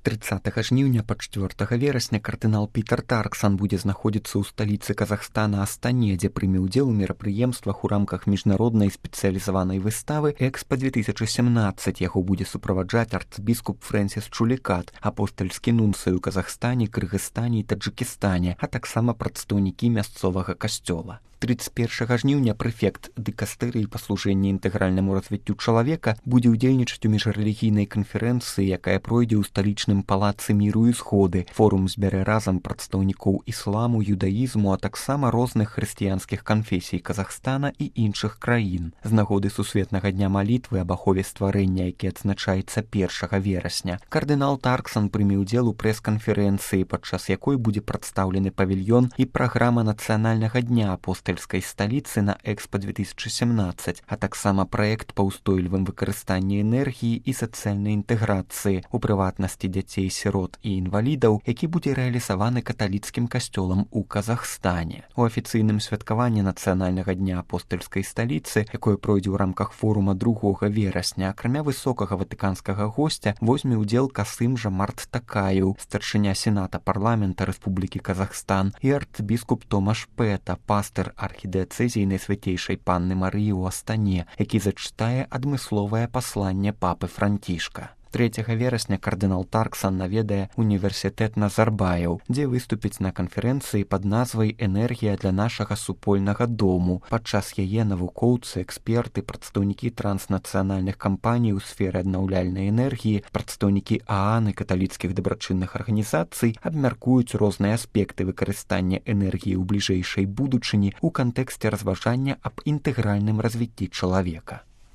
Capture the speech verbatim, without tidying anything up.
трыццатага жніўня па чацвёртага верасня кардынал Пітер Тарксан будзе знаходзіцца ў сталіцы Казахстана Астане, дзе прыме ўдзел у мерапрыемствах у рамках міжнароднай спецыялізаванай выставы Экспа две тысячи семнадцать. Яго будзе суправаджаць арцбіскуп Фрэнсіс Чулікат, апостальскі нунцый у Казахстане, Кыргызстане і Таджыкістане, а таксама прадстаўнікі мясцовага касцёла. трыццаць першага жніўня прэфект дыкастэрыі па служэнні інтэгральнаму развіццю чалавека будзе ўдзельнічаць у міжрэлігійнай канферэнцыі, якая пройдзе ў сталічным палацы міру і згоды. Форум збярэ разам прадстаўнікоў ісламу, юдаізму, а таксама розных хрысціянскіх канфесій Казахстана і іншых краін. З нагоды сусветнага дня малітвы аб ахове стварэння, які адзначаецца першага верасня, кардынал Тарксан прыме ўдзел у прэс-канферэнцыі, падчас якой будзе прадстаўлены павільён і праграма нацыянальнага дня апостальскай сталіцы на Экспа две тысячи семнадцать, а таксама праект па ўстойлівым выкарыстанні энергіі і сацыяльнай інтэграцыі, у прыватнасці дзяцей, сірот і інвалідаў, які будзе рэалізаваны каталіцкім касцёлам у Казахстане. У афіцыйным святкаванні нацыянальнага дня апостальскай сталіцы, якое пройдзе ў рамках форума другога верасня, акрамя высокага ватыканскага госця возьме ўдзел Касым Жомарт Такаеў, старшыня сената парламента Рэспублікі Казахстан, і арцбіскуп Томаш Пэта, пастыр архідыацэзіі Найсвяцейшай Панны Марыі ў Астане, які зачытае адмысловае пасланне папы Францішка. трэцяга верасня кардынал Тарксан наведае універсітэт Назарбаяў, дзе выступіць на канферэнцыі пад назвай «Энергія для нашага супольнага дому». Падчас яе навукоўцы, эксперты, прадстаўнікі транснацыянальных кампаній у сферы аднаўляльнай энергіі, прадстаўнікі ААН і каталіцкіх дабрачынных арганізацый абмяркуюць розныя аспекты выкарыстання энергіі ў бліжэйшай будучыні ў кантэксце разважання аб інтэгральным развіцці чалавека.